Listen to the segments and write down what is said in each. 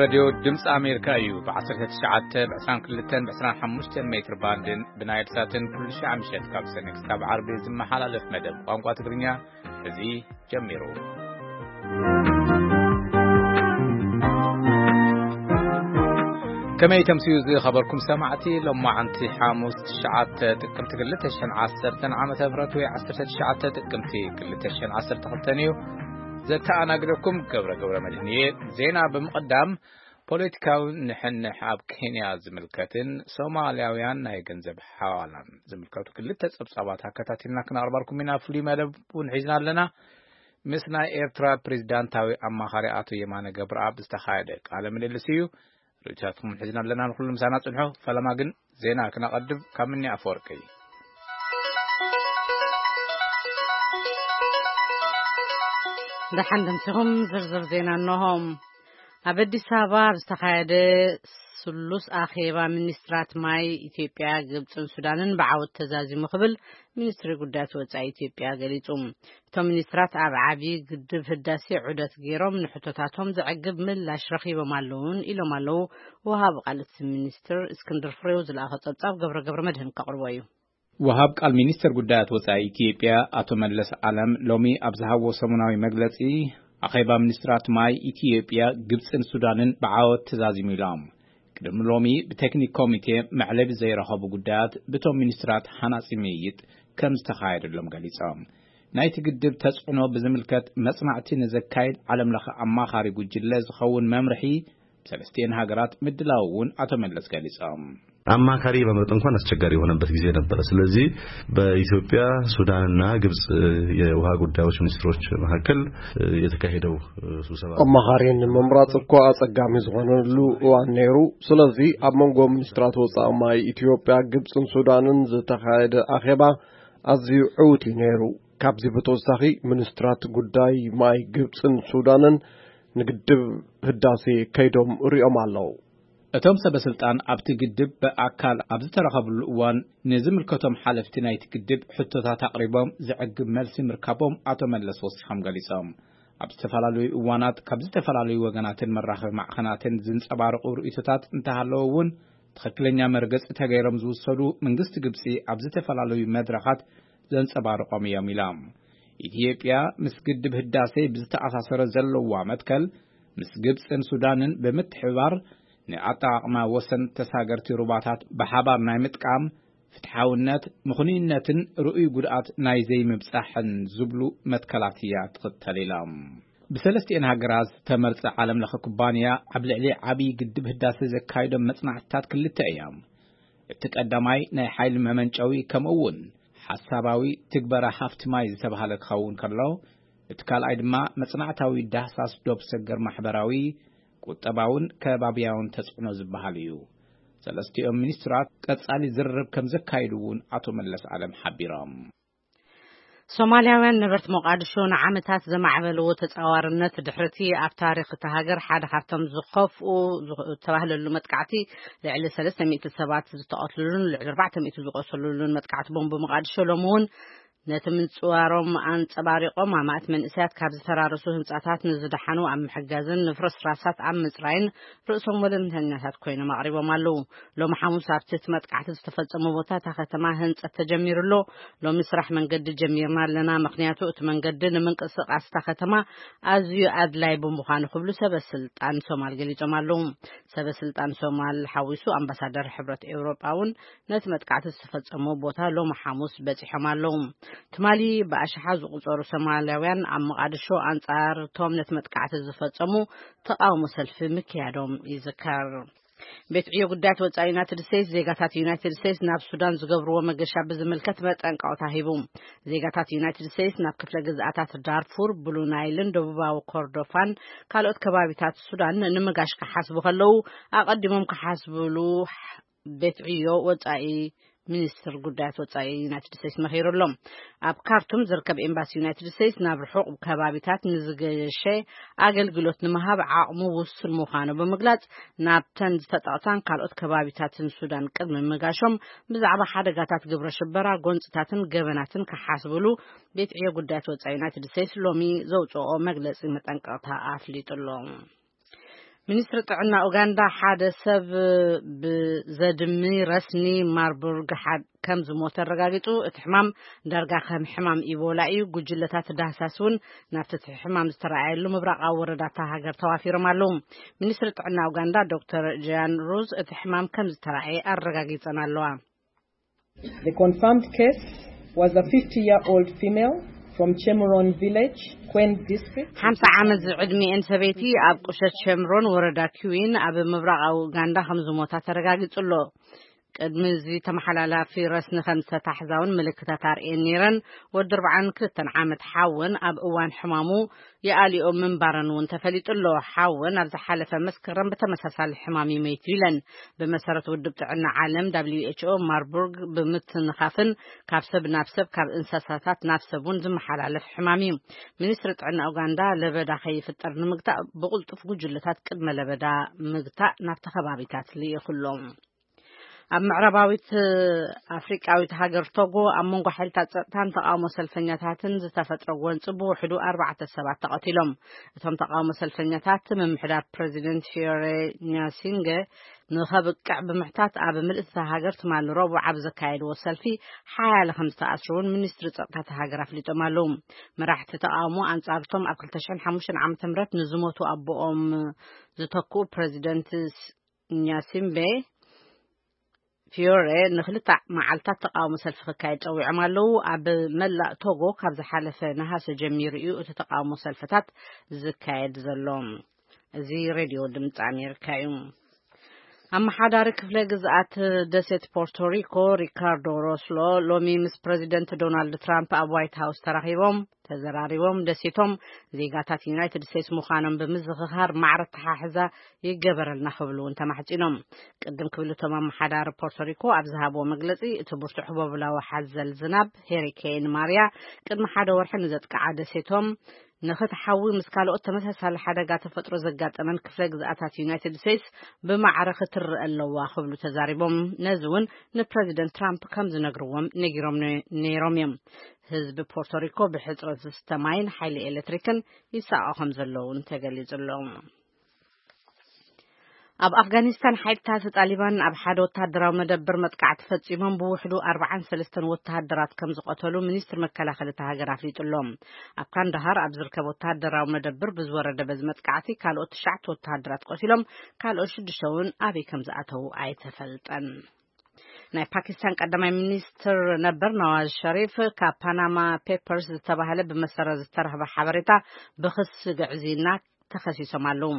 ሬድዮ ድምፂ ኣሜሪካ እዩ። ብ19፣ ብ22፣ ብ25 ሜትር ባንድን ብናይል ሳትን ኩሉ ሻዕ ምሸት ካብ ሰነ ክሳብ ዓርቢ ዝመሓላለፍ መደብ ቋንቋ ትግርኛ እዚ ጀሚሩ። ከመይ ተምስዩ ዝኸበርኩም ሰማዕቲ፣ ሎማዓንቲ ሓሙስ ትሽዓተ ጥቅምቲ ክልተ ሽሕን ዓሰርተን ዓመተ ምህረት ወይ ዓሰርተ ትሽዓተ ጥቅምቲ ክልተ ሽሕን ዓሰርተ ክልተን እዩ። ዘተኣናግደኩም ገብረ ገብረ መድህን እየ። ዜና ብምቕዳም፣ ፖለቲካዊ ንሕንሕ ኣብ ኬንያ ዝምልከትን ሶማልያውያን ናይ ገንዘብ ሓዋላን ዝምልከቱ ክልተ ጸብጻባት ኣከታቲልና ክነቕርባልኩም ኢና። ፍሉይ መደብ እውን ሒዝና ኣለና። ምስ ናይ ኤርትራ ፕሬዚዳንታዊ ኣማኻሪ ኣቶ የማነ ገብረኣብ ዝተኻየደ ቃለ ምልልስ እዩ። ርእይቶታትኩም ሒዝና ኣለና። ንኹሉ ምሳና ጽንሑ። ፈለማ ግን ዜና ክነቐድም ካብ ምኒ ኣፈወርቂ። ደሓን ደምሲኹም። ዝርዝር ዜና እነሆ። ኣብ ኣዲስ ኣበባ ኣብ ዝተኻየደ ስሉስ ኣኼባ፣ ሚኒስትራት ማይ ኢትዮጵያ፣ ግብፅን ሱዳንን ብዓወት ተዛዚሙ ክብል ሚኒስትሪ ጉዳያት ወፃኢ ኢትዮጵያ ገሊፁ። እቶም ሚኒስትራት ኣብ ዓብዪ ግድብ ህዳሴ ዑደት ገይሮም ንሕቶታቶም ዘዕግብ ምላሽ ረኺቦም ኣለውን ኢሎም ኣለዉ። ወሃቢ ቃል እቲ ሚኒስትር እስክንድር ፍሬው ዝለኣኸ ጸብጻብ ገብረ ገብረ መድህን ከቕርቦ እዩ። ወሃብ ቃል ሚኒስትር ጉዳያት ወጻኢ ኢትዮጵያ ኣቶ መለስ ዓለም ሎሚ ኣብ ዝሃቦ ሰሙናዊ መግለጺ፣ ኣኼባ ሚኒስትራት ማይ ኢትዮጵያ፣ ግብጽን ሱዳንን ብዓወት ተዛዚሙ ኢሎም። ቅድሚ ሎሚ ብቴክኒክ ኮሚቴ መዕለቢ ዘይረኸቡ ጉዳያት ብቶም ሚኒስትራት ሃናጺ ምይይጥ ከም ዝተኻየደሎም ገሊጾም። ናይቲ ግድብ ተጽዕኖ ብዝምልከት መጽናዕቲ ንዘካይድ ዓለም ለኸ ኣማኻሪ ጉጅለ ዝኸውን መምርሒ ብሰለስቲኤን ሃገራት ምድላው እውን ኣቶ መለስ ገሊጾም። አማካሪ መምረጥ እንኳን አስቸጋሪ የሆነበት ጊዜ ነበረ። ስለዚህ በኢትዮጵያ፣ ሱዳንና ግብጽ የውሃ ጉዳዮች ሚኒስትሮች መካከል የተካሄደው ስብሰባ አማኻሪ ንምምራጽ እኮ ኣጸጋሚ ዝኾነሉ እዋን ነይሩ። ስለዚ ኣብ መንጎ ሚኒስትራት ወጻኢ ማይ ኢትዮጵያ፣ ግብጽን ሱዳንን ዝተኻየደ ኣኼባ ኣዝዩ ዕዉት እዩ ነይሩ። ካብዚ ብተወሳኺ ሚኒስትራት ጉዳይ ማይ ግብጽን ሱዳንን ንግድብ ህዳሴ ከይዶም ሪኦም ኣለዉ። እቶም ሰበ ስልጣን ኣብቲ ግድብ ብኣካል ኣብ ዝተረኸብሉ እዋን፣ ንዝምልከቶም ሓለፍቲ ናይቲ ግድብ ሕቶታት ኣቕሪቦም ዘዕግብ መልሲ ምርካቦም ኣቶ መለስ ወሲኾም ገሊጾም። ኣብ ዝተፈላለዩ እዋናት ካብ ዝተፈላለዩ ወገናትን መራኸቢ ማዕኸናትን ዝንጸባረቑ ርእይቶታት እንተሃለዉ እውን፣ ትኽክለኛ መርገጺ ተገይሮም ዝውሰዱ መንግስቲ ግብጺ ኣብ ዝተፈላለዩ መድረኻት ዘንጸባርቖም እዮም ኢሎም። ኢትዮጵያ ምስ ግድብ ህዳሴ ብዝተኣሳሰረ ዘለዋ መትከል፣ ምስ ግብጽን ሱዳንን ብምትሕብባር ንኣጠቓቕማ ወሰን ተሳገርቲ ሩባታት ብሓባር ናይ ምጥቃም ፍትሓውነት፣ ምኽኑይነትን ርኡይ ጉድኣት ናይ ዘይምብጻሕን ዝብሉ መትከላት እያ ትኽተል ኢሎም። ብሰለስቲኤን ሃገራት ዝተመርጸ ዓለም ለኸ ኩባንያ ኣብ ልዕሊ ዓብዪ ግድብ ህዳሴ ዘካይዶም መጽናዕትታት ክልተ እዮም። እቲ ቀዳማይ ናይ ሓይሊ መመንጨዊ ከምኡ እውን ሓሳባዊ ትግበራ ሃፍቲ ማይ ዝተባህለ ክኸውን ከሎ፣ እቲ ካልኣይ ድማ መጽናዕታዊ ዳህሳስ ዶብ ሰገር ማሕበራዊ፣ ቁጠባውን ከባብያውን ተጽዕኖ ዝበሃል እዩ። ሰለስቲኦም ሚኒስትራት ቀጻሊ ዝርርብ ከም ዘካይዱ እውን ኣቶ መለስ ዓለም ሓቢሮም። ሶማልያውያን ነበርቲ ሞቃዲሾ ንዓመታት ዘማዕበልዎ ተጻዋርነት ድሕርቲ ኣብ ታሪኽ እታ ሃገር ሓደ ካብቶም ዝኸፍኡ ዝተባህለሉ መጥቃዕቲ፣ ልዕሊ ሰለስተ ሚእቲ ሰባት ዝተቐትሉሉን ልዕሊ ኣርባዕተ ሚእቲ ዝቆሰሉሉን መጥቃዕቲ ቦምብ ሞቃዲሾ ሎሚ እውን ነቲ ምንጽዋሮም ኣንጸባሪቖም፣ ኣማእት መንእሰያት ካብ ዝፈራረሱ ህንጻታት ንዝደሓኑ ኣብ ምሕጋዝን ንፍርስራሳት ኣብ ምጽራይን ርእሶም ወለንተኛታት ኮይኖም ኣቕሪቦም ኣለዉ። ሎሚ ሓሙስ ኣብቲ እቲ መጥቃዕቲ ዝተፈጸመ ቦታ እታ ከተማ ህንጸት ተጀሚሩ ኣሎ። ሎሚ ስራሕ መንገዲ ጀሚርና ኣለና፣ ምኽንያቱ እቲ መንገዲ ንምንቅስቓስ እታ ከተማ ኣዝዩ ኣድላይ ብምዃኑ ክብሉ ሰበ ስልጣን ሶማል ገሊጾም ኣለዉ። ሰበ ስልጣን ሶማል ሓዊሱ ኣምባሳደር ሕብረት ኤውሮጳ እውን ነቲ መጥቃዕቲ ዝተፈጸሞ ቦታ ሎሚ ሓሙስ በጺሖም ኣለዉ። ትማሊ ብኣሽሓት ዝቑጸሩ ሶማልያውያን ኣብ መቓድሾ ኣንጻር እቶም ነቲ መጥቃዕቲ ዝፈጸሙ ተቓውሞ ሰልፊ ምክያዶም ይዝከር። ቤት ዕዮ ጉዳያት ወጻኢ ዩናይትድ ስቴትስ፣ ዜጋታት ዩናይትድ ስቴትስ ናብ ሱዳን ዝገብርዎ መገሻ ብዝምልከት መጠንቀቕታ ሂቡ። ዜጋታት ዩናይትድ ስቴትስ ናብ ክፍለ ግዝኣታት ዳርፉር፣ ብሉ ናይልን ደቡባዊ ኮርዶፋን ካልኦት ከባቢታት ሱዳን ንምጋሽ ክሓስቡ ከለዉ፣ ኣቐዲሞም ክሓስብሉ ቤት ዕዮ ወጻኢ ሚኒስትር ጉዳያት ወጻኢ ዩናይትድ ስቴትስ መኺሩ ኣሎ። ኣብ ካርቱም ዝርከብ ኤምባሲ ዩናይትድ ስቴትስ ናብ ርሑቕ ከባቢታት ንዝገሸ ኣገልግሎት ንምሃብ ዓቕሙ ውሱን ምዃኑ ብምግላጽ፣ ናብተን ዝተጠቕሳን ካልኦት ከባቢታትን ሱዳን ቅድሚ ምጋሾም ብዛዕባ ሓደጋታት ግብረ ሽበራ፣ ጎንጽታትን ገበናትን ክሓስብሉ ቤት ዕዮ ጉዳያት ወጻኢ ዩናይትድ ስቴትስ ሎሚ ዘውጽኦ መግለጺ መጠንቀቕታ ኣፍሊጡ ኣሎ። ሚኒስትሪ ጥዕና ኡጋንዳ ሓደ ሰብ ብዘድሚ ረስኒ ማርቡርግ ሓ-፣ ከም ዝሞተ ኣረጋጊጹ። እቲ ሕማም ዳርጋ ከም ሕማም ኢቦላ እዩ። ጉጅለታት ዳህሳስ እውን ናብቲ እቲ ሕማም ዝተረኣየሉ ምብራቓዊ ወረዳታ ሃገር ተዋፊሮም ኣለዉ። ሚኒስትሪ ጥዕና ኡጋንዳ ዶክተር ጃን ሩዝ እቲ ሕማም ከም ዝተረኣየ ኣረጋጊጸን ኣለዋ። The confirmed case was a fifty-year-old female from Chemuron village, Kwen district. ሓምሳ ዓመት ዝዕድሚኤን ሰበይቲ ኣብ ቁሸት ሸምሮን ወረዳ ኪዊን ኣብ ምብራቓዊ ኡጋንዳ ከም ዝሞታ ተረጋጊጹ ኣሎ። ቅድሚ እዚ ተመሓላላፊ ረስኒ ከም ዝተታሕዛ እውን ምልክታት ኣርእየን ነይረን። ወዲ ኣርባዓን ክልተን ዓመት ሓውን ኣብ እዋን ሕማሙ ይኣልዮ ምንባረን እውን ተፈሊጡ ኣሎ። ሓውን ኣብ ዝሓለፈ መስከረም ብተመሳሳሊ ሕማም ይመይቱ ኢለን። ብመሰረት ውድብ ጥዕና ዓለም ደብሊው ኤች ኦ ማርቡርግ ብምትንኻፍን ካብ ሰብ ናብ ሰብ ካብ እንስሳታት ናብ ሰብ እውን ዝመሓላለፍ ሕማም እዩ። ሚኒስትሪ ጥዕና ኡጋንዳ ለበዳ ከይፍጠር ንምግታእ ብቕልጡፍ ጉጅለታት ቅድመ ለበዳ ምግታእ ናብቲ ከባቢታት ልኢኹ ኣሎ። ኣብ ምዕራባዊት ኣፍሪቃዊት ሃገር ቶጎ ኣብ መንጎ ሓይልታት ጸጥታን ተቃውሞ ሰልፈኛታትን ዝተፈጥረ ጎንጺ ብውሕዱ ኣርባዕተ ሰባት ተቐቲሎም። እቶም ተቃውሞ ሰልፈኛታት ምምሕዳር ፕረዚደንት ፊዮሬ ኛሲንገ ንኸብቅዕ ብምሕታት ኣብ ምልእቲ እታ ሃገር ትማሊ ረቡዕ ኣብ ዘካየድዎ ሰልፊ ሓያለ ከም ዝተኣስሩ እውን ሚኒስትሪ ጸጥታ እታ ሃገር ኣፍሊጦም ኣለዉ። መራሕቲ ተቃውሞ ኣንጻርቶም ኣብ ክልተ ሽሕን ሓሙሽተን ዓመተ ምህረት ንዝሞቱ ኣቦኦም ዝተክኡ ፕረዚደንት ኛሲምቤ ፊዮሬ ንክልተ መዓልታት ተቃውሞ ሰልፊ ክካየድ ጸዊዖም ኣለዉ። ኣብ መላእ ቶጎ ካብ ዝሓለፈ ነሃሰ ጀሚሩ እዩ እቲ ተቃውሞ ሰልፍታት ዝካየድ ዘሎ። እዚ ሬድዮ ድምፂ ኣሜሪካ እዩ። ኣመሓዳሪ ክፍለ ግዝኣት ደሴት ፖርቶሪኮ ሪካርዶ ሮስሎ ሎሚ ምስ ፕረዚደንት ዶናልድ ትራምፕ ኣብ ዋይት ሃውስ ተራኺቦም ተዘራሪቦም። ደሴቶም ዜጋታት ዩናይትድ ስቴትስ ምዃኖም ብምዝኽኻር ማዕረ ኣተሓሕዛ ይገበረልና ክብሉ እውን ተማሕጺኖም። ቅድም ክብል እቶም ኣመሓዳሪ ፖርቶሪኮ ኣብ ዝሃብዎ መግለጺ፣ እቲ ብርቱዕ ህቦብላዊ ሓዘል ዝናብ ሄሪኬን ማርያ ቅድሚ ሓደ ወርሒ ንዘጥቅዓ ደሴቶም ንኽትሓዊ ምስ ካልኦት ተመሳሳሊ ሓደጋ ተፈጥሮ ዘጋጠመን ክፍለ ግዝኣታት ዩናይትድ ስቴትስ ብማዕረ ክትርእ ኣለዋ ክብሉ ተዛሪቦም። ነዚ እውን ንፕረዚደንት ትራምፕ ከም ዝነግርዎም ነጊሮም ነ-፣ ነይሮም እዮም። ህዝቢ ፖርቶሪኮ ብሕጽረት ዝስተ ማይን ሓይሊ ኤሌክትሪክን ይሳቐ ከም ዘሎ እውን ተገሊጹ ኣሎ። ኣብ ኣፍጋኒስታን ሓይልታት ጣሊባን ኣብ ሓደ ወተሃደራዊ መደብር መጥቃዕቲ ፈጺሞም ብውሕዱ ኣርባዓን ሰለስተን ወተሃደራት ከም ዝቐተሉ ሚኒስትሪ መከላኸሊ እታ ሃገር ኣፍሊጡ ኣሎ። ኣብ ካንዳሃር ኣብ ዝርከብ ወተሃደራዊ መደብር ብዝወረደ በዚ መጥቃዕቲ ካልኦት ትሽዓተ ወተሃደራት ቆሲሎም፣ ካልኦት ሽዱሽተ እውን ኣበይ ከም ዝኣተዉ ኣይተፈልጠን። ናይ ፓኪስታን ቀዳማይ ሚኒስትር ነበር ነዋዝ ሸሪፍ ካብ ፓናማ ፔፐርስ ዝተባህለ ብመሰረት ዝተረኽበ ሓበሬታ ብኽሲ ግዕዝይና ተኸሲሶም ኣለዉ።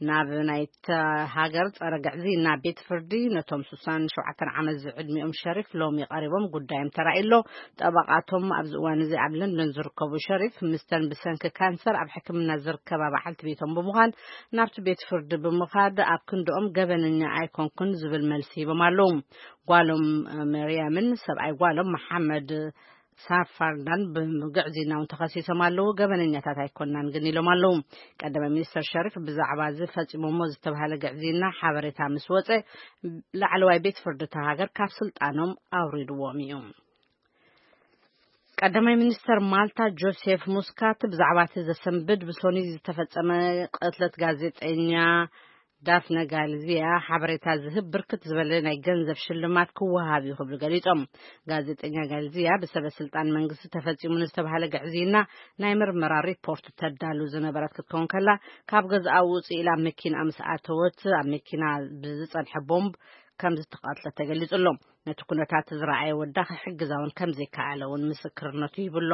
ናብ ናይታ ሃገር ጸረ ግዕዝይና ቤት ፍርዲ ነቶም ስሳን ሸውዓተን ዓመት ዝዕድሚኦም ሸሪፍ ሎሚ ቀሪቦም ጉዳዮም ተራእዩ ኣሎ። ጠበቓቶም ኣብዚ እዋን እዚ ኣብ ለንደን ዝርከቡ ሸሪፍ ምስተን ብሰንኪ ካንሰር ኣብ ሕክምና ዝርከባ በዓልቲ ቤቶም ብምዃን ናብቲ ቤት ፍርዲ ብምኻድ ኣብ ክንድኦም ገበነኛ ኣይኮንኩን ዝብል መልሲ ሂቦም ኣለዉ። ጓሎም መርያምን ሰብኣይ ጓሎም መሓመድ ሳፋርዳን ብግዕዝይና እውን ተኸሲሶም ኣለዉ። ገበነኛታት ኣይኮናን ግን ኢሎም ኣለዉ። ቀዳማይ ሚኒስትር ሸሪፍ ብዛዕባ እዚ ፈጺሞሞ ዝተባህለ ግዕዝይና ሓበሬታ ምስ ወጸ ላዕለዋይ ቤት ፍርዲ እታ ሃገር ካብ ስልጣኖም ኣውሪድዎም እዩ። ቀዳማይ ሚኒስተር ማልታ ጆሴፍ ሙስካት ብዛዕባ እቲ ዘሰንብድ ብሶኒ ዝተፈጸመ ቅትለት ጋዜጠኛ ዳፍነ ጋልዚያ ሓበሬታ ዝህብ ብርክት ዝበለ ናይ ገንዘብ ሽልማት ክወሃብ እዩ ክብሉ ገሊጾም። ጋዜጠኛ ጋልዚያ ብሰበ ስልጣን መንግስቲ ተፈጺሙ ንዝተባህለ ግዕዝይና ናይ ምርመራ ሪፖርት ተዳሉ ዝነበረት ክትከውን ከላ፣ ካብ ገዛኣ ውጽእ ኢላ መኪና ምስ ኣተወት ኣብ መኪና ብዝጸንሐ ቦምብ ከም ዝተቐትለት ተገሊጹ ኣሎ። ነቲ ኩነታት ዝረኣየ ወዳ ክሕግዛ እውን ከም ዘይከኣለ እውን ምስክርነቱ ይብሎ።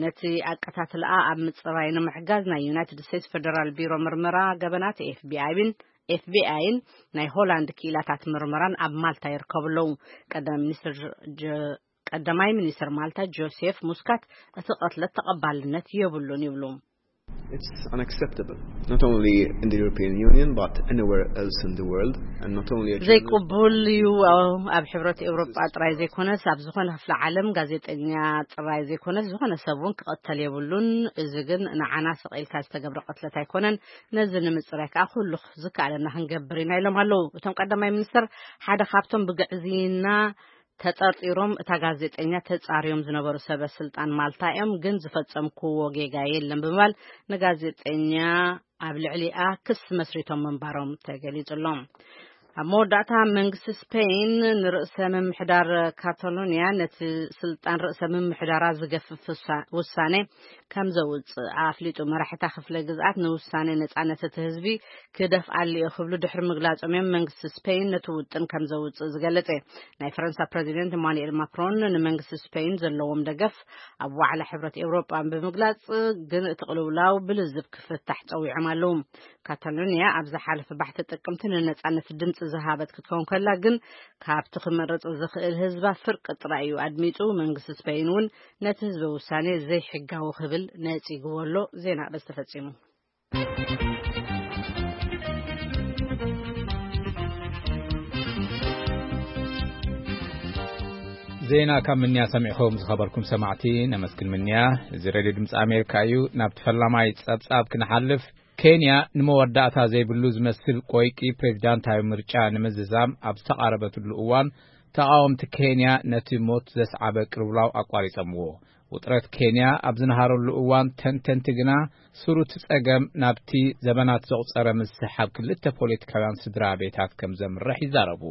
ነቲ ኣቀታትልኣ ኣብ ምጽራይ ንምሕጋዝ ናይ ዩናይትድ ስቴትስ ፌደራል ቢሮ ምርመራ ገበናት ኤፍ ቢ ኣይን፣ ኤፍ ቢ ኣይን ናይ ሆላንድ ክኢላታት ምርመራን ኣብ ማልታ ይርከቡ ኣለዉ። ቀዳማይ ሚኒስትር ጀ-፣ ቀዳማይ ሚኒስትር ማልታ ጆሴፍ ሙስካት እቲ ቅትለት ተቐባልነት የብሉን ይብሉ። It's unacceptable, not only in the European Union, but anywhere else in the world, and not only a journalist. ዘይቅቡል እዩ። ኣብ ሕብረት ኤውሮጳ ጥራይ ዘይኮነስ ኣብ ዝኾነ ክፍለ ዓለም ጋዜጠኛ ጥራይ ዘይኮነስ ዝኾነ ሰብ እውን ክቐተል የብሉን። እዚ ግን ንዓና ስቕ ኢልካ ዝተገብረ ቅትለት ኣይኮነን። ነዚ ንምጽራይ ከዓ ኩሉ ዝከኣለና ክንገብር ኢና ኢሎም ኣለዉ። እቶም ቀዳማይ ሚኒስትር ሓደ ካብቶም ብግዕዝይና ተጠርጢሮም እታ ጋዜጠኛ ተጻርዮም ዝነበሩ ሰበ ስልጣን ማልታ እዮም፣ ግን ዝፈጸምክዎ ጌጋ የለን ብምባል ንጋዜጠኛ ኣብ ልዕሊኣ ክስ መስሪቶም ምንባሮም ተገሊጹ ኣሎ። ኣብ መወዳእታ መንግስቲ ስፔን ንርእሰ ምምሕዳር ካታሎኒያ ነቲ ስልጣን ርእሰ ምምሕዳራ ዝገፍፍ ውሳ-፣ ውሳኔ ከም ዘውጽእ ኣፍሊጡ። መራሒታ ክፍለ ግዝኣት ንውሳኔ ነጻነት እቲ ህዝቢ ክደፍኣሉ እየ ክብሉ ድሕሪ ምግላጾም እዮም መንግስቲ ስፔን ነቲ ውጥን ከም ዘውጽእ ዝገለጸ። ናይ ፈረንሳ ፕረዚደንት ኢማኑኤል ማክሮን ንመንግስቲ ስፔን ዘለዎም ደገፍ ኣብ ዋዕላ ሕብረት ኤውሮጳ ብምግላጽ፣ ግን እቲ ቅልውላው ብልዝብ ክፍታሕ ጸዊዖም ኣለዉ። ካታሎኒያ ኣብ ዝሓለፈ ባሕቲ ጥቅምቲ ንነጻነት ድምጺ ዝሃበት ክትከውን ከላ፣ ግን ካብቲ ክመርጽ ዝኽእል ህዝባ ፍርቂ ጥራይ እዩ ኣድሚጹ። መንግስቲ ስፔን እውን ነቲ ህዝበ ውሳኔ ዘይሕጋዊ ክብል ነጺግዎ ኣሎ። ዜና ኣርእስቲ ተፈጺሙ። ዜና ካብ ምንያ ሰሚዕኹም ዝኸበርኩም ሰማዕቲ ነመስግን ምንያ። እዚ ሬድዮ ድምፂ ኣሜሪካ እዩ። ናብቲ ፈላማይ ጸብጻብ ክንሓልፍ፣ ኬንያ ንመወዳእታ ዘይብሉ ዝመስል ቆይቂ ፕሬዚዳንታዊ ምርጫ ንምዝዛም ኣብ ዝተቓረበትሉ እዋን፣ ተቓወምቲ ኬንያ ነቲ ሞት ዘስዓበ ቅልውላው ኣቋሪጸምዎ። ውጥረት ኬንያ ኣብ ዝነሃረሉ እዋን፣ ተንተንቲ ግና ስሩቲ ጸገም ናብቲ ዘበናት ዘቑጸረ ምስሕሓብ ክልተ ፖለቲካውያን ስድራ ቤታት ከም ዘምርሕ ይዛረቡ።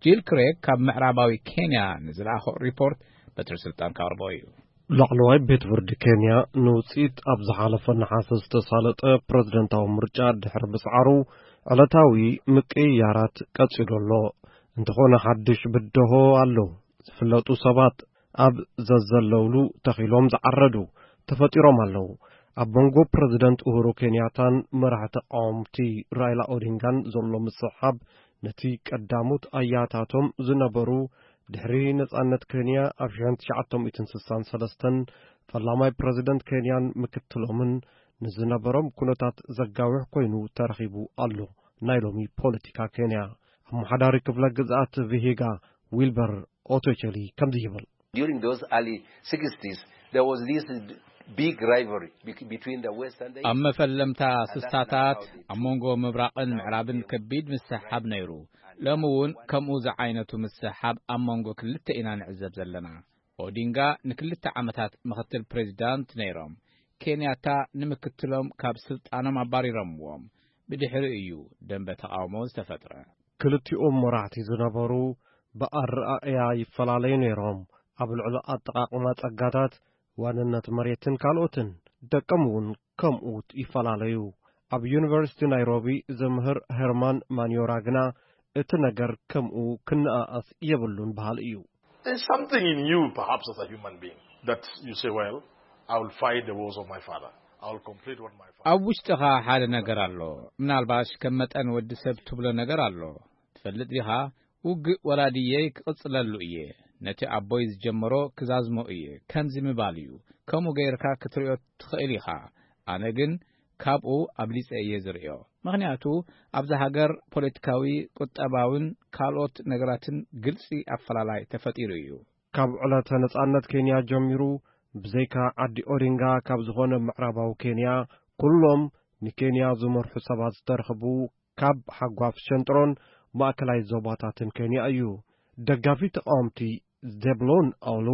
ጂል ክሬግ ካብ ምዕራባዊ ኬንያ ንዝለኣኾ ሪፖርት በትሪ ስልጣን ካቕርቦ እዩ። ላዕለዋይ ቤት ፍርዲ ኬንያ ንውጽኢት ኣብ ዝሓለፈ ነሓሰ ዝተሳለጠ ፕረዚደንታዊ ምርጫ ድሕሪ ምስዓሩ፣ ዕለታዊ ምቅይያራት ቀጺሉ ኣሎ። እንተኾነ ሓድሽ ብደሆ ኣሎ። ዝፍለጡ ሰባት ኣብ ዘዘለውሉ ተኺሎም ዝዓረዱ ተፈጢሮም ኣለዉ። ኣብ መንጎ ፕረዚደንት ኡሁሩ ኬንያታን መራሒ ተቃወምቲ ራይላ ኦዲንጋን ዘሎ ምስሕሓብ፣ ነቲ ቀዳሞት ኣያታቶም ዝነበሩ ድሕሪ ነጻነት ኬንያ ኣብ ሽሕን ትሽዓተ ሚእትን ስሳን ሰለስተን ፈላማይ ፕረዚደንት ኬንያን ምክትሎምን ንዝነበሮም ኩነታት ዘጋውሕ ኮይኑ ተረኺቡ ኣሎ። ናይ ሎሚ ፖለቲካ ኬንያ። ኣመሓዳሪ ክፍለ ግዝኣት ቪሂጋ ዊልበር ኦቶቸሊ ከምዚ ይብል። During those early sixties, there was this big rivalry be-, between the West and the ኣብ East. መፈለምታ ስሳታት ኣብ መንጎ ምብራቕን ምዕራብን ከቢድ ምስሕሓብ ነይሩ። ሎሚ እውን ከምኡ ዝዓይነቱ ምስሕሓብ ኣብ መንጎ ክልተ ኢና ንዕዘብ ዘለና። ኦዲንጋ ንክልተ ዓመታት ምኽትል ፕሬዚዳንት ነይሮም። ኬንያታ ንምክትሎም ካብ ስልጣኖም ኣባሪሮምዎም። ብድሕሪ እዩ ደንበ ተቓውሞ ዝተፈጥረ። ክልቲኦም መራሕቲ ዝነበሩ ብኣረኣእያ ይፈላለዩ ነይሮም። ኣብ ልዕሊ ኣጠቓቕማ ጸጋታት፣ ዋንነት መሬትን ካልኦትን። ደቆም እውን ከምኡ ይፈላለዩ። ኣብ ዩኒቨርሲቲ ናይሮቢ ዘምህር ሄርማን ማንዮራ ግና፣ እቲ ነገር ከምኡ ክነኣኣስ የብሉን በሃሊ እዩ። There's something in you, perhaps, as a human being, that you say, "Well, I will fight the wars of my father. I will complete what my father." ኣብ ውሽጥኻ ሓደ ነገር ኣሎ። ምናልባሽ ከም መጠን ወዲ ሰብ ትብሎ ነገር ኣሎ። ትፈልጥ ዲኻ? ውግእ ወላድየይ ክቕጽለሉ እየ። ነቲ ኣቦይ ዝጀመሮ ክዛዝሞ እየ። ከምዚ ምባል እዩ። ከምኡ ገይርካ ክትሪኦ ትኽእል ኢኻ። ኣነ ግን ካብኡ ኣብሊጸ እየ ዝርእዮ። ምኽንያቱ ኣብዛ ሃገር ፖለቲካዊ፣ ቁጠባውን ካልኦት ነገራትን ግልጺ ኣፈላላይ ተፈጢሩ እዩ። ካብ ዕለተ ነጻነት ኬንያ ጀሚሩ፣ ብዘይካ ዓዲ ኦዲንጋ ካብ ዝኾነ ምዕራባዊ ኬንያ፣ ኩሎም ንኬንያ ዝመርሑ ሰባት ዝተረኽቡ ካብ ሓጓፍ ሸንጥሮን ማእከላይ ዞባታትን ኬንያ እዩ። ደጋፊ ተቃወምቲ ዜብሎን ኣውሉ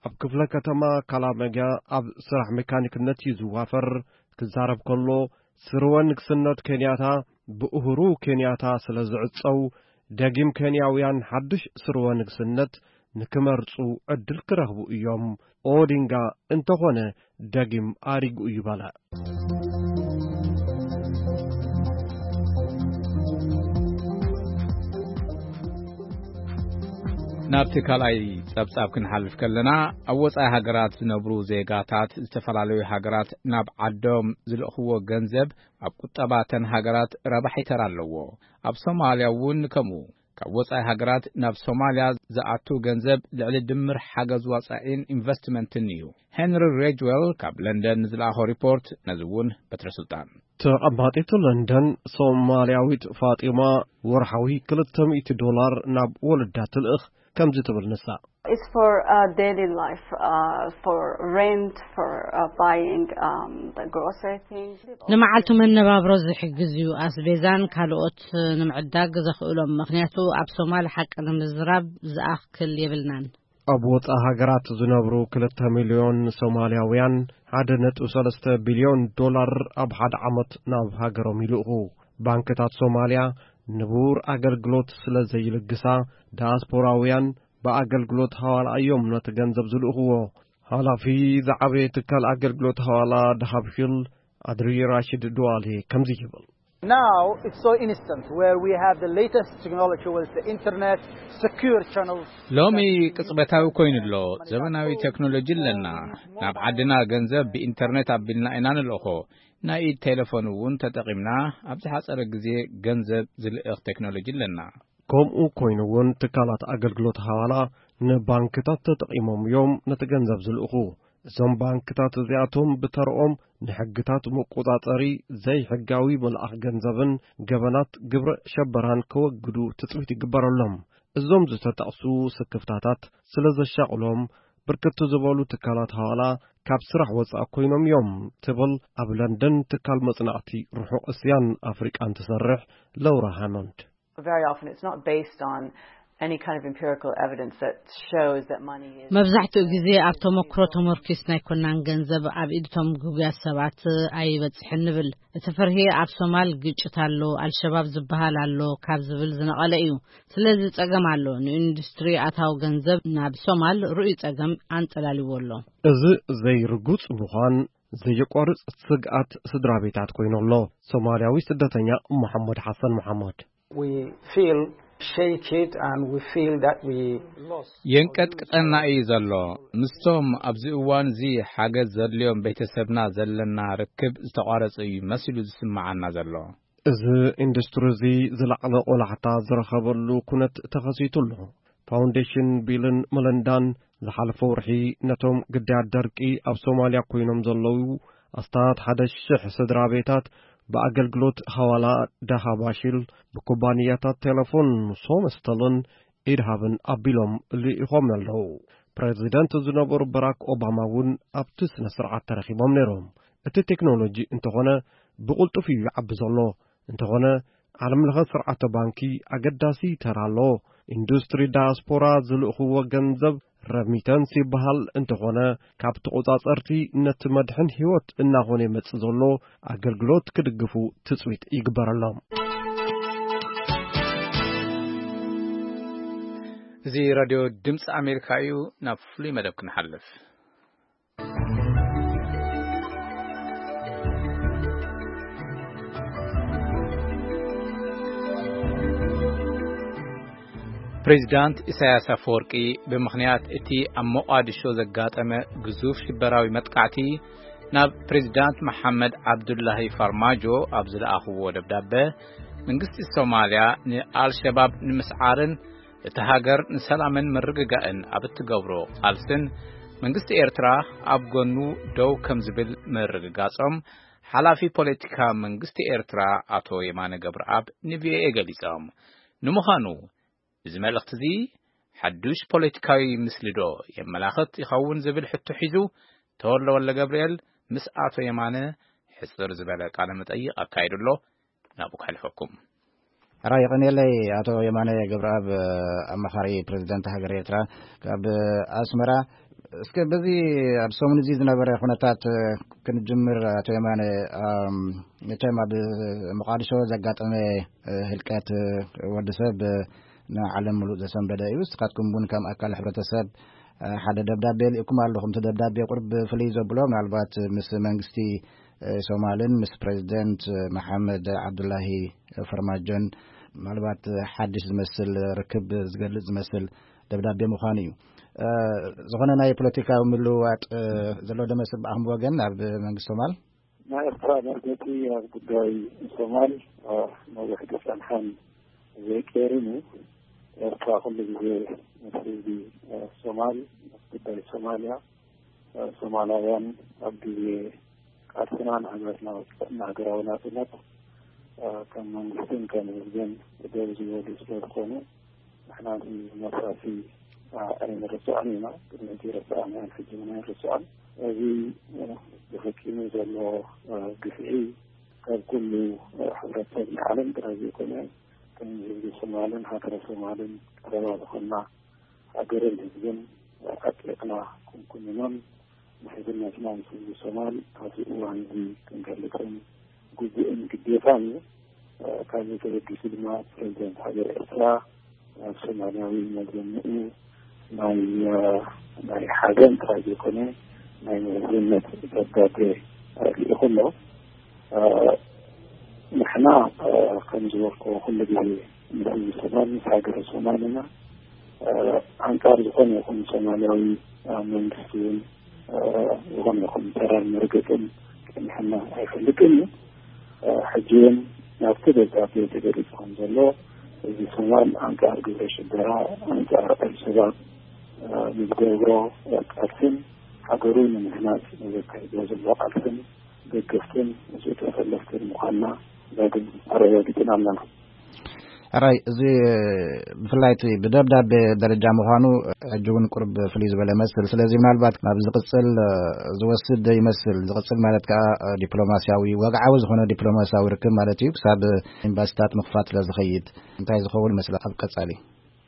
ኣብ ክፍለ ከተማ ካላመጋ ኣብ ስራሕ ሜካኒክነት እዩ ዝዋፈር። ክዛረብ ከሎ፣ ስርወ ንግስነት ኬንያታ ብኡሁሩ ኬንያታ ስለ ዝዕጸው፣ ደጊም ኬንያውያን ሓድሽ ስርወ ንግስነት ንክመርጹ ዕድል ክረኽቡ እዮም። ኦዲንጋ እንተኾነ ደጊም ኣሪጉ እዩ በለ። ናብቲ ካልኣይ ጸብጻብ ክንሓልፍ ከለና፣ ኣብ ወጻኢ ሃገራት ዝነብሩ ዜጋታት ዝተፈላለዩ ሃገራት ናብ ዓዶም ዝልእኽዎ ገንዘብ ኣብ ቁጠባተን ሃገራት ረባሒ ተራ ኣለዎ። ኣብ ሶማልያ እውን ከምኡ። ካብ ወጻኢ ሃገራት ናብ ሶማልያ ዝኣቱ ገንዘብ ልዕሊ ድምር ሓገዝ ወጻኢን ኢንቨስትመንትን እዩ። ሄንሪ ሬጅዌል ካብ ለንደን ንዝለኣኾ ሪፖርት ነዚ እውን በትረ ስልጣን። ተቐማጢት ለንደን ሶማልያዊት ፋጢማ ወርሓዊ ክልተ ሚእቲ ዶላር ናብ ወለዳ ትልእኽ። ከምዚ ትብል ንሳ። It's for uh, daily life, uh, for rent, for uh, buying um, the grocery things. ንመዓልቱ መነባብሮ ዝሕግዝ እዩ። ኣስቤዛን ካልኦት ንምዕዳግ ዘኽእሎም፣ ምኽንያቱ ኣብ ሶማል ሓቂ ንምዝራብ ዝኣክል የብልናን። ኣብ ወጻኢ ሃገራት ዝነብሩ ክልተ ሚልዮን ሶማልያውያን፣ ሓደ ነጥቢ ሰለስተ ቢልዮን ዶላር ኣብ ሓደ ዓመት ናብ ሃገሮም ይልእኹ። ባንክታት ሶማልያ ንቡር ኣገልግሎት ስለ ዘይልግሳ፣ ዳያስፖራውያን ብኣገልግሎት ሃዋላ እዮም ነቲ ገንዘብ ዝልእኽዎ። ሓላፊ ዝዓበየ ትካል ኣገልግሎት ሃዋላ ዳሃብ ሂል ኣድሪ ራሽድ ድዋሌ ከምዚ ይብል። Now it's so instant where we have the latest technology with the internet, secure channels. ሎሚ ቅጽበታዊ ኮይኑ ኣሎ። ዘመናዊ ቴክኖሎጂ ኣለና። ናብ ዓድና ገንዘብ ብኢንተርኔት ኣቢልና ኢና ንልእኾ። ናይ ኢድ ቴሌፎን እውን ተጠቒምና ኣብ ዝሓጸረ ግዜ ገንዘብ ዝልእኽ ቴክኖሎጂ ኣለና። ከምኡ ኮይኑ እውን ትካላት ኣገልግሎት ሃዋላ ንባንክታት ተጠቒሞም እዮም ነቲ ገንዘብ ዝልእኹ። እዞም ባንክታት እዚኣቶም ብተርኦም ንሕግታት መቆጻጸሪ ዘይሕጋዊ ምልኣኽ ገንዘብን ገበናት ግብረ ሸበራን ከወግዱ ትጽቢት ይግበረሎም። እዞም ዝተጠቕሱ ስክፍታታት ስለ ዘሻቕሎም ብርክት ዝበሉ ትካላት ሃዋላ ካብ ስራሕ ወጻእ ኮይኖም እዮም ትብል ኣብ ለንደን ትካል መጽናዕቲ ርሑቕ እስያን ኣፍሪቃን ትሰርሕ ለውራ ሃሞንድ። Very often it's not based on any kind of empirical evidence that shows that money is መብዛሕትኡ ግዜ ኣብ ተመክሮ ተመርኪስና ኣይኮናን ገንዘብ ኣብ ኢድቶም ግጉያት ሰባት ኣይበጽሕን ንብል። እቲ ፍርሂ ኣብ ሶማል ግጭት ኣሎ፣ ኣልሸባብ ዝበሃል ኣሎ ካብ ዝብል ዝነቐለ እዩ። ስለዚ ጸገም ኣሎ። ንኢንዱስትሪ ኣታዊ ገንዘብ ናብ ሶማል ርኡይ ጸገም ኣንጸላልዎ ኣሎ። እዚ ዘይርጉጽ ምዃን ዘየቋርጽ ስግኣት ስድራ ቤታት ኮይኑ ኣሎ። ሶማልያዊ ስደተኛ መሓመድ ሓሰን መሓመድ። We feel shaken and we feel that we lost. የንቀጥቅጠና እዩ ዘሎ። ምስቶም ኣብዚ እዋን እዚ ሓገዝ ዘድልዮም ቤተሰብና ዘለና ርክብ ዝተቋረጸ እዩ መሲሉ ዝስምዓና ዘሎ። እዚ ኢንዱስትሪ እዚ ዝለዓለ ቆላሕታ ዝረኸበሉ ኩነት ተኸሲቱ ኣሎ። ፋውንዴሽን ቢልን መለንዳን ዝሓለፈ ወርሒ ነቶም ግዳያት ደርቂ ኣብ ሶማልያ ኮይኖም ዘለዉ ኣስታት ሓደ ሽሕ ስድራ ቤታት ብኣገልግሎት ሃዋላ ዳሃባሽል ብኩባንያታት ቴሌፎን ሶመስተልን ኢድሃብን ኣቢሎም ልኢኾም ኣለዉ። ፕሬዚደንት ዝነበሩ በራክ ኦባማ እውን ኣብቲ ስነ ስርዓት ተረኺቦም ነይሮም። እቲ ቴክኖሎጂ እንተኾነ ብቕልጡፍ እዩ ይዓቢ ዘሎ። እንተኾነ ዓለምለኸ ስርዓተ ባንኪ ኣገዳሲ ተራ ኣሎ። ኢንዱስትሪ ዳያስፖራ ዝልእኽዎ ገንዘብ ረሚተንስ ይበሃል። እንተኾነ ካብ ተቖጻጸርቲ ነቲ መድሕን ህይወት እናኾነ ይመጽእ ዘሎ ኣገልግሎት ክድግፉ ትጽቢት ይግበረሎም። እዚ ራድዮ ድምፂ ኣሜሪካ እዩ። ናብ ፍሉይ መደብ ክንሓልፍ። ፕሬዚዳንት ኢሳያስ ኣፈወርቂ ብምኽንያት እቲ ኣብ ሞቓዲሾ ዘጋጠመ ግዙፍ ሽበራዊ መጥቃዕቲ ናብ ፕሬዚዳንት መሓመድ ዓብዱላሂ ፋርማጆ ኣብ ዝለኣኽዎ ደብዳበ፣ መንግስቲ ሶማልያ ንኣልሸባብ ንምስዓርን እቲ ሃገር ንሰላምን ምርግጋእን ኣብ እትገብሮ ቃልስን መንግስቲ ኤርትራ ኣብ ጎኑ ደው ከም ዝብል ምርግጋጾም ሓላፊ ፖለቲካ መንግስቲ ኤርትራ ኣቶ የማነ ገብረኣብ ንቪኦኤ ገሊጾም። ንምዃኑ እዚ መልእኽቲ እዚ ሓዱሽ ፖለቲካዊ ምስሊዶ የመላኽት ይኸውን ዝብል ሕቶ ሒዙ ተወልደ ወልደገብርኤል ምስ ኣቶ የማነ ሕጽር ዝበለ ቃለ መጠይቕ ኣካይዱ ኣሎ። ናብኡ ከሕልፈኩም። ሕራይ የቐንየለይ ኣቶ የማነ ገብረኣብ፣ ኣማኻሪ ፕሬዚደንት ሃገር ኤርትራ ካብ ኣስመራ። እስከ በዚ ኣብ ሰሙን እዚ ዝነበረ ኩነታት ክንጅምር ኣቶ የማነ። መቸም ኣብ መቓድሾ ዘጋጠመ ህልቀት ወዲ ሰብ ንዓለም ምሉእ ዘሰንበደ እዩ። ንስኻትኩም እውን ከም ኣካል ሕብረተሰብ ሓደ ደብዳቤ ልኢኩም ኣለኹም። እቲ ደብዳቤ ቁርብ ፍልይ ዘብሎ ምናልባት ምስ መንግስቲ ሶማልን ምስ ፕሬዚደንት መሓመድ ዓብዱላሂ ፈርማጆን ምናልባት ሓድሽ ዝመስል ርክብ ዝገልጽ ዝመስል ደብዳቤ ምዃኑ እዩ። ዝኾነ ናይ ፖለቲካዊ ምልውዋጥ ዘሎ ዶ መስል ብኣኹም ወገን ኣብ መንግስቲ ሶማል? ናይ ኤርትራ መርገጺ ኣብ ጉዳይ ሶማል ነዊሕ ዝጸንሐን ዘይቀየርን እዩ። ኤርትራ ኩሉ ግዜ ምስ ህዝቢ ሶማል፣ ምስ ጉዳይ ሶማልያ፣ ሶማላውያን ኣብ ግዜ ቃልስና ንሃገርና ወጽእና ሃገራዊ ናጽነት ከም መንግስትን ከም ህዝብን ደው ዝበሉ ስለ ዝኾኑ ንሕና እዚ መፍረሲ ኣይንርስዖን ኢና። ቅድሚ ሕጂ ረሳዕና ሕጂ እውን ኣይንርስዖን። እዚ ተፈጺሙ ዘሎ ግፍዒ ካብ ኩሉ ሕብረተሰብና ዓለም ጥራይ ዘይኮነ፣ ከም ህዝቢ ሶማልን ሃገረ ሶማልን ቀረባ ዝኾና ሃገርን ህዝብን ኣጥቢቕና ክንኩንኖን ንሕዝነትና ምስ ህዝቢ ሶማል ኣብዚ እዋን እዚ ክንገልጽን ግቡእን ግዴታን እዩ። ካብዚ ተበጊሱ ድማ ፕሬዚደንት ሃገር ኤርትራ ኣብ ሶማልያዊ መዘንኡ ናይ ናይ ሓዘን ጥራይ ዘይኮነ ናይ መዝነት ደብዳቤ ልኢኹ ኣሎ። ንሕና ከም ዝበልኩ ኩሉ ግዜ ምስ ህዝቢ ሶማል ምስ ሃገረ ሶማል ኢና። ኣንጻር ዝኾነ ይኹን ሶማልያዊ መንግስቲ እውን ዝኾነ ይኹን ተራን መርገጽን ጸኒሕና ኣይፈልጥን እዩ። ሕጂ እውን ናብቲ ደብዳቤ ተገሊጹ ከም ዘሎ እዚ ሶማል ኣንጻር ግብረ ሽበራ፣ ኣንጻር ኣልሸባብ ንዝገብሮ ቃልስን ሃገሩ ንምህናጽ ንዘካይዶ ዘሎ ቃልስን ደገፍትን ምስኡ ተሰለፍትን ምዃንና ዳግም ኣረጋጊጽና ኣለና። ሕራይ፣ እዚ ብፍላይ እቲ ብደብዳቤ ደረጃ ምዃኑ ሕጂ እውን ቁርብ ፍልይ ዝበለ መስል። ስለዚ ምናልባት ናብ ዝቕጽል ዝወስድ ይመስል። ዝቕጽል ማለት ከኣ ዲፕሎማስያዊ፣ ወግዓዊ ዝኾነ ዲፕሎማስያዊ ርክብ ማለት እዩ። ክሳብ ኤምባሲታት ምኽፋት ስለ ዝኸይድ እንታይ ዝኸውን ይመስል ኣብ ቀጻሊ?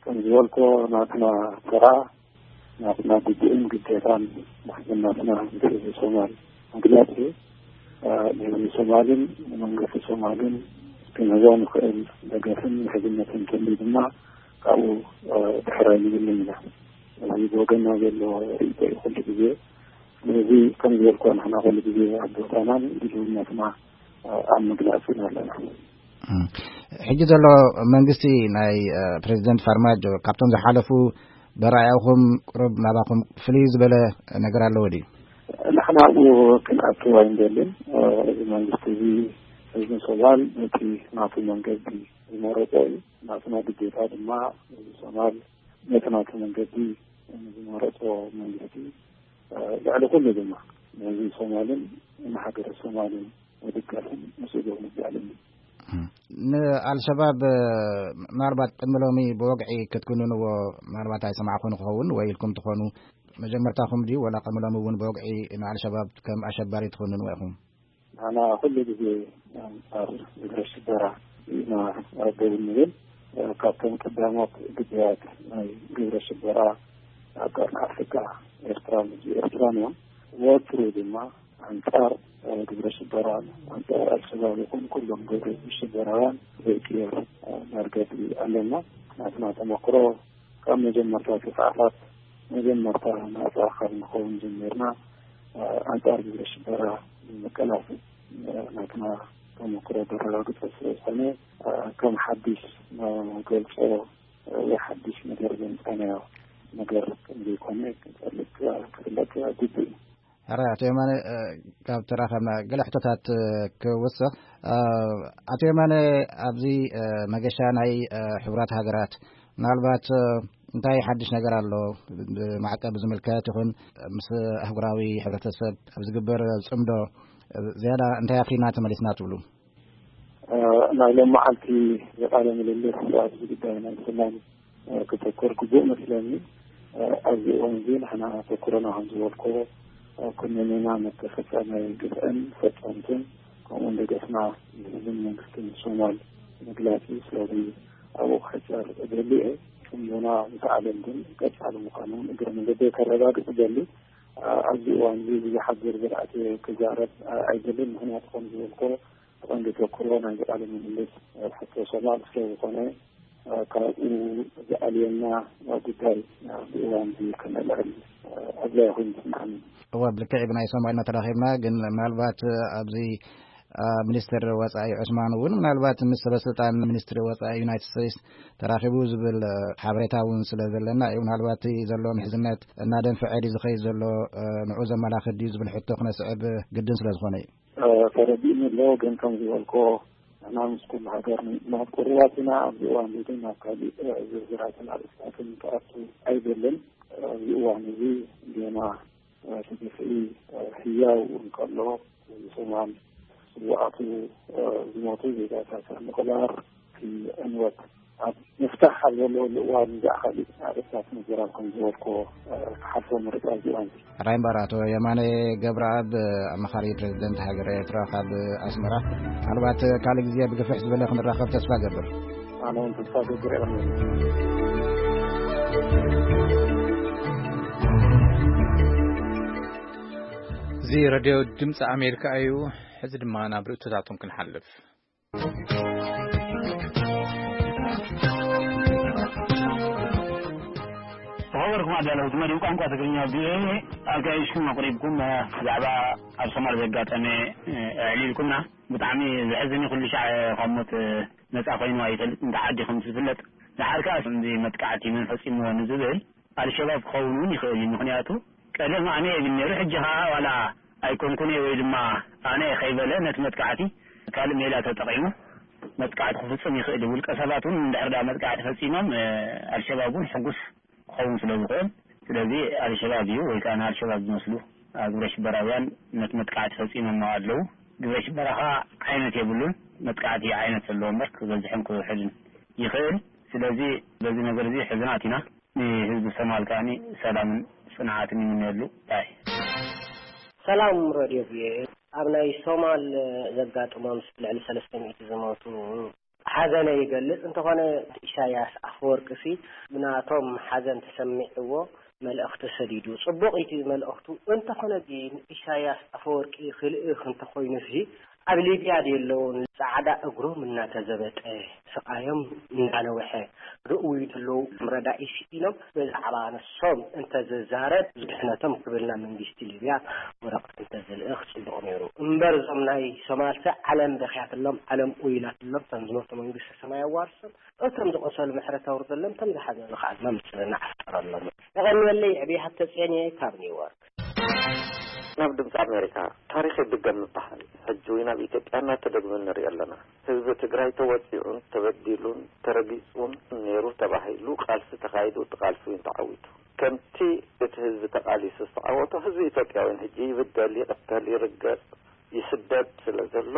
ከም ዝበልኮ ናትና ተራ ናትና ግቡእን ግዴታን ምሕዝነትና ምስ ህዝቢ ሶማል ምግላጽ እዩ። ንህዝቢ ሶማልን ንመንግስቲ ሶማልን ክንህቦ ንኽእል ደገፍን ምሕዝነትን እንተልዩ ድማ ካብኡ ድሕር ኣይንብልን ኢና። እዚ ብወገንና ዘሎ ርእይቶ እዩ ኩሉ ግዜ። ስለዚ ከም ዝበልኮ ንሕና ኩሉ ግዜ ኣብ ቦታናን ድልውነትና ኣብ ምግላጽ ኢና ኣለና። ሕጂ ዘሎ መንግስቲ ናይ ፕሬዚደንት ፋርማጆ ካብቶም ዝሓለፉ በራእያኹም ቁሩብ ናባኹም ፍልይ ዝበለ ነገር ኣለዎ ድዩ? ንሕና ኣብኡ ክንኣቱ ኣይንደልን። እዚ መንግስቲ እዚ ህዝቢ ሶማል ነቲ ናቱ መንገዲ ዝመረጾ እዩ። ናትና ግዴታ ድማ ህዝቢ ሶማል ነቲ ናቱ መንገዲ ዝመረጾ መንግስቲ ልዕሊ ኩሉ ድማ ንህዝቢ ሶማልን ንሃገረ ሶማልን ምድጋፍን ምስኡ ዶ ምባልን። ንኣልሸባብ ምናልባት ቅድሚ ሎሚ ብወግዒ ክትኩንንዎ ምናልባት ኣይሰማዕኹን ክኸውን ወይ ኢልኩም ትኾኑ። መጀመርታኹም ድዩ ወላ ቅድሚ ሎሚ እውን ብወግዒ ንኣልሸባብ ከም ኣሸባሪ ትኹንንዎ ኢኹም? ንሕና ኩሉ ግዜ ኣንጻር ግብረ ሽበራ ኢና ደው እንብል። ካብቶም ቀዳሞት ግዳያት ናይ ግብረ ሽበራ ኣብ ቀርኒ ኣፍሪቃ ኤርትራን ህዝቢ ኤርትራን እዮም። ወትሩ ድማ ኣንጻር ግብረ ሽበራ ኣንጻር ኣልሸባብ ይኹን ኩሎም ግብረ ሽበራውያን ዘይቅየር መርገጺ ኣለና። ናትና ተመክሮ ካብ መጀመርታ ተጻዕታት መጀመርታ ናጻ ካብ ንኸውን ጀሚርና ኣንጻር ግብረ ሽበራ ንምቅላስ ናትና ተመክሮ ዘረጋግጸ ስለ ዝኾነ ከም ሓድሽ ንገልጾ ወይ ሓድሽ ነገር ዘምጻናዮ ነገር ከም ዘይኮነ ክፈልጥ ክፍለጥ ግቡእ እዩ። ሕራይ ኣቶ የማነ፣ ካብ ተራኸብና ገለ ሕቶታት ክውስኽ። ኣቶ የማነ፣ ኣብዚ መገሻ ናይ ሕቡራት ሃገራት ምናልባት እንታይ ሓድሽ ነገር ኣሎ? ብማዕቀብ ዝምልከት ይኹን ምስ ኣህጉራዊ ሕብረተሰብ ኣብ ዝግበር ጽምዶ ዝያዳ እንታይ ኣፍሪና ተመሊስና ትብሉ? ናይ ሎም መዓልቲ ቃለ ምልልስ ኣብዚ ጉዳይ ናይ ሰላም ክተኮር ግቡእ መስለኒ። ኣብዚ እዋን እዚ ንሕና ተኩረና ከም ዝበልኮ ኩነኔና መተፈጸመ ግፍዕን ፈጸምትን ከምኡውን ደገፍና ንህዝብን መንግስትን ሶማል ምግላጽ እዩ። ስለዚ ኣብኡ ክሕጸር እደሊ እየ። ጽምዶና ምስ ዓለም ግን ቀጻሊ ምዃኑ እውን እግረ መንገደይ ከረጋግጽ እደሊ። ኣብዚ እዋን እዚ ብዙሓት ዝርዝር ኣትየ ክዛረብ ኣይደልን። ምኽንያቱ ከም ዝበልኮ ብቐንዱ ተኩሮ ናይዚ ቃለ ምልልስ ሕቶ ሶማል ስለ ዝኾነ ካብኡ ዝኣልየና ጉዳይ ኣብዚ እዋን እዚ ከነልዕል ኣድላይ ኮይኑ ይስምዓኒ። እወ፣ ብልክዕ ብናይ ሶማልና ተራኺብና፣ ግን ምናልባት ኣብዚ ሚኒስትር ወፃኢ ዑስማን እውን ምናልባት ምስ ሰበስልጣን ሚኒስትሪ ወፃኢ ዩናይትድ ስቴትስ ተራኺቡ ዝብል ሓበሬታ እውን ስለ ዘለና እዩ። ምናልባት ዘሎ ምሕዝነት እናደንፈዐ ድዩ ዝኸይድ ዘሎ ንዑ ዘመላኽት ድዩ ዝብል ሕቶ ክነስዕብ ግድን ስለ ዝኾነ እዩ። ተረዲእኒ ኣሎ፣ ግን ከም ዝበልኮ ንሕና ምስ ኩሉ ሃገር ናብ ቅሩባት ኢና። ኣብዚ እዋን እዚ ግን ናብ ካሊእ ዝርዝራትን ኣርእስታትን ክኣቱ ኣይደልን። ኣብዚ እዋን እዚ ጌና እቲ ግፍዒ ህያው እንከሎ፣ እዚ ሰማን ስውኣቱ ዝሞቱ ዜጋታት ምቕባር፣ እቲ ዕንወት ኣብ ምፍታሕ ኣብ ዘለወሉ እዋን ብዛዕባ ካልእ ኣርእስታት ምዝራብ ከም ዝበልክዎ፣ እ፣ ክሓልፎ ምርጫ ኣብዚ እዋን እዚ። ራይምባር፣ ኣቶ የማነ ገብረኣብ፣ ኣማኻሪ ፕሬዚደንት ሃገረ ኤርትራ ካብ ኣስመራ። ምናልባት ካልእ ግዜ ብግፍሕ ዝበለ ክንራኸብ ተስፋ ገብር። ኣነ እውን ተስፋ ገብር እየ። እዚ ሬድዮ ድምፂ ኣሜሪካ እዩ። ሕዚ ድማ ናብ ርእቶታቶም ክንሓልፍ። ዝኸበርኩም ኣዳለውቲ መደብ ቋንቋ ትግርኛ ቪኦኤ፣ ኣጋይሽኩም ኣቕሪብኩም፣ እ፣ ብዛዕባ ኣብ ሶማል ዘጋጠመ፣ እ፣ ኣዕሊልኩምና። ብጣዕሚ ዘሕዝን እዩ። ኩሉ ሻዕ ካብ ሞት፣ እ፣ ነጻ ኮይኑ ኣይፈልጥን፣ እንተ ዓዲ ከም ዝፍለጥ። ደሓር ከኣ እዚ መጥቃዕቲ መን ፈጺምዎ ንዝብል ኣልሸባብ ክኸውን እውን ይኽእል እዩ። ምኽንያቱ ቀደም ኣነ እየ ይብል ነይሩ፣ ሕጂ ኸኣ ዋላ ኣይኮንኩን እየ ወይ ድማ ኣነ እየ ከይበለ ነቲ መጥቃዕቲ ካልእ ሜላ ተጠቒሙ መጥቃዕቲ ክፍጽም ይኽእል እዩ። ውልቀ ሰባት እውን እንድሕር ደኣ መጥቃዕቲ ፈጺሞም፣ እ፣ ኣልሸባብ እውን ሕጉስ ክኸውን ስለ ዝኽእል፣ ስለዚ ኣልሸባብ እዩ ወይ ከኣ ንኣልሸባብ ዝመስሉ፣ እ፣ ግብረ ሽበራውያን ነቲ መጥቃዕቲ ፈጺሞሞ ኣለዉ። ግብረ ሽበራ ኸኣ ዓይነት የብሉን፣ መጥቃዕቲ ዓይነት ዘለዎ እምበር ክበዝሕን ክውሕድን ይኽእል። ስለዚ በዚ ነገር እዚ ሕዙናት ኢና። ንህዝቢ ሶማል ከኣ ሰላምን ጽንዓትን ይምነየሉ። ባይ። ሰላም ሬድዮ ቪኦኤ። ኣብ ናይ ሶማል ዘጋጥሞም ልዕሊ ሰለስተ ሚእቲ ዝሞቱ ሓዘነ ይገልጽ። እንተኾነ ኢሳያስ ኣፈወርቂ ሲ ብናቶም ሓዘን ተሰሚዕዎ መልእኽቲ ሰዲዱ። ጽቡቕ እቲ መልእኽቱ። እንተኾነ ግን ኢሳያስ ኣፈወርቂ ክልእኽ እንተኾይኑ ሲ ኣብ ሊብያ ድየለውን ጻዕዳ እግሮም እናተዘበጠ ስቓዮም እንዳነውሐ ርእዩ ዘለዉ ረዳኢ ስኢኖም ብዛዕባ ንሶም እንተዝዛረብ ዝድሕነቶም ክብልና መንግስቲ ሊብያ ወረቐት እንተዝልእኽ ጽቡቕ ነይሩ። እምበር እዞም ናይ ሶማልሰ ዓለም በኽያትሎም፣ ዓለም ኡይላትሎም፣ እቶም ዝሞቱ መንግስቲ ሰማይ ኣዋርሶም፣ እቶም ዝቖሰሉ ምሕረት ኣውርደሎም፣ እቶም ዝሓዘኑ ከዓ ድማ ምጽንናዕ ፍጠረሎም። የቐንየለይ። ዕብይ ሃብተጽዮን እየ ካብ ኒውዮርክ። ናብ ድምፂ ኣሜሪካ። ታሪኽ ይድገም ይበሃል። ሕጂ እውን ኣብ ኢትዮጵያ እናተደግመ ንሪኦ ኣለና። ህዝቢ ትግራይ ተወፂዑን ተበዲሉን ተረጊፁን ነይሩ ተባሂሉ ቃልሲ ተኻይዱ፣ እቲ ቃልሲ እውን ተዓዊቱ። ከምቲ እቲ ህዝቢ ተቓሊሱ ዝተዓወቶ፣ ህዝቢ ኢትዮጵያ እውን ሕጂ ይብደል፣ ይቕተል፣ ይርገፅ፣ ይስደድ ስለ ዘሎ፣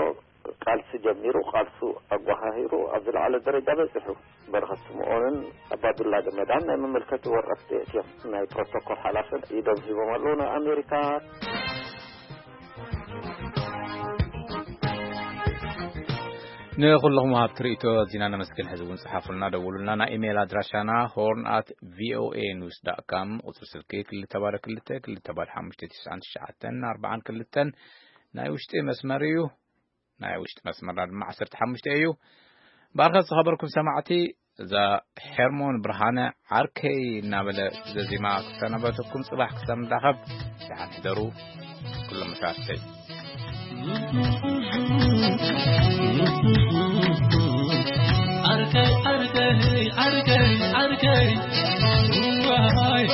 ቃልሲ ጀሚሩ፣ ቃልሱ ኣጓሃሂሩ ኣብ ዝለዓለ ደረጃ በፂሑ። በረኸት ስምኦንን ኣባዱላ ገመዳን ናይ መመልከቲ ወረቐት የእትዮም። ናይ ፕሮቶኮል ሓላፍን ኢዶም ሂቦም ኣለዉ ናብ ኣሜሪካ። ንኹለኹም ወሃብቲ ርእይቶ ኣዚና ነመስግን። ሕዚ እውን ጽሓፉልና፣ ደውሉልና። ናይ ኢሜይል ኣድራሻና ሆርን ኣት ቪኦኤ ኒውስ ዳት ካም፣ ቁጽሪ ስልኪ ክልተ ባዶ ክልተ፣ ክልተ ባዶ ሓሙሽተ፣ ትሽዓን ትሽዓተን ኣርባዓን ክልተን ናይ ውሽጢ መስመር እዩ። ናይ ውሽጢ መስመርና ድማ ዓሰርተ ሓሙሽተ እዩ። ብኣርኸ ዝኸበርኩም ሰማዕቲ፣ እዛ ሄርሞን ብርሃነ ዓርከይ እናበለ ዘዚማ ክሰናበተኩም፣ ጽባሕ ክሳብ ንራኸብ ደሓን ሕደሩ። ኩሎም መሻርክተይ። ዓርከይ፣ ዓርከይ፣ ዓርከይ፣ ዓርከይ። ዋይ።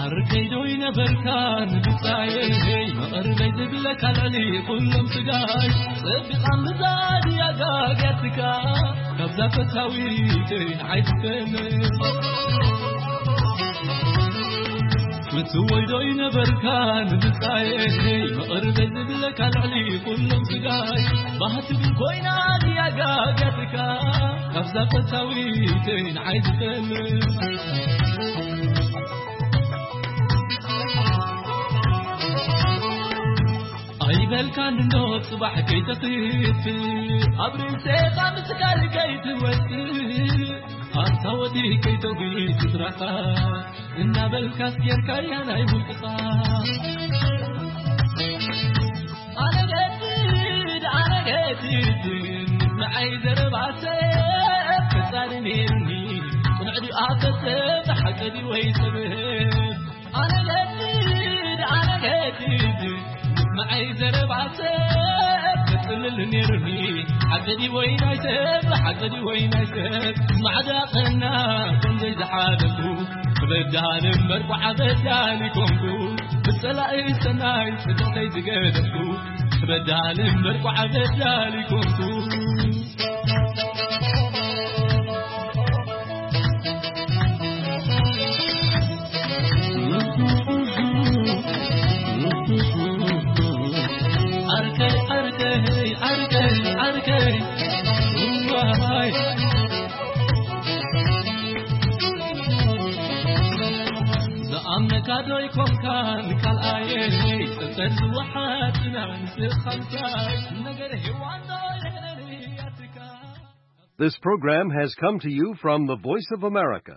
ዓርከይ ዶ ይነበርካ ንብጻየይ፣ መቐርበይ ዝብለካ ልዕሊ ኩሎም ስጋይ። ጸቢቓ ምዛድ ያጋግያትካ፣ ካብዛ ፈታዊተይ ንዓይ ትፈልጥ። ፍትወይ ዶ ይነበርካ ንብጻየይ፣ መቐርበይ ዝብለካ ልዕሊ ኩሎም ስጋይ። ባህቲ ግን ኮይና ያጋግያትካ፣ ካብዛ ፈታዊተይ ንዓይ ትፈልጥ። ኣይበልካን እንዶ ጽባሕ ከይተኽፍ፣ ኣብ ርእሰኻ ምስካር ከይትወጽእ፣ ኣብታ ወዲ ከይተጒ ስድራኻ እናበልካስ ጌርካያ ናይ ውልቅኻ። ኣነገድድ ኣነገድድ ንዓይ ዘረባሰ ፈጻሪ ነይሩኒ፣ ቅንዕ ድኣ ፈጸም ሓቂ ድዩ ወይ ሰብ? ኣነገድድ ኣነገድድ ንዓይ ዘረባሰ ፈጽምል ነይሩኒ፣ ሓቂ ድዩ ወይ ናይ ሰብ? ሓቂ ድዩ ወይ ናይ ሰብ? ማዕዳ ቐና ከም ዘይዝሓለፉ ክበዳል እምበር ቋዕ በዳሊ ኮንኩ፣ ብጸላኢ ሰናይ ጽድቕተይ ዝገደፍኩ፣ ክበዳል እምበር ቋዕ በዳሊ ኮንኩ። ዓርከይ፣ ዓርከይ፣ ካዶይ ኮንካን ካልኣየይ ጸጸር ዝወሓጥና ንስኻንካይ ነገር ሄዋን ዶ የለንያትካ This program has come to you from the Voice of America,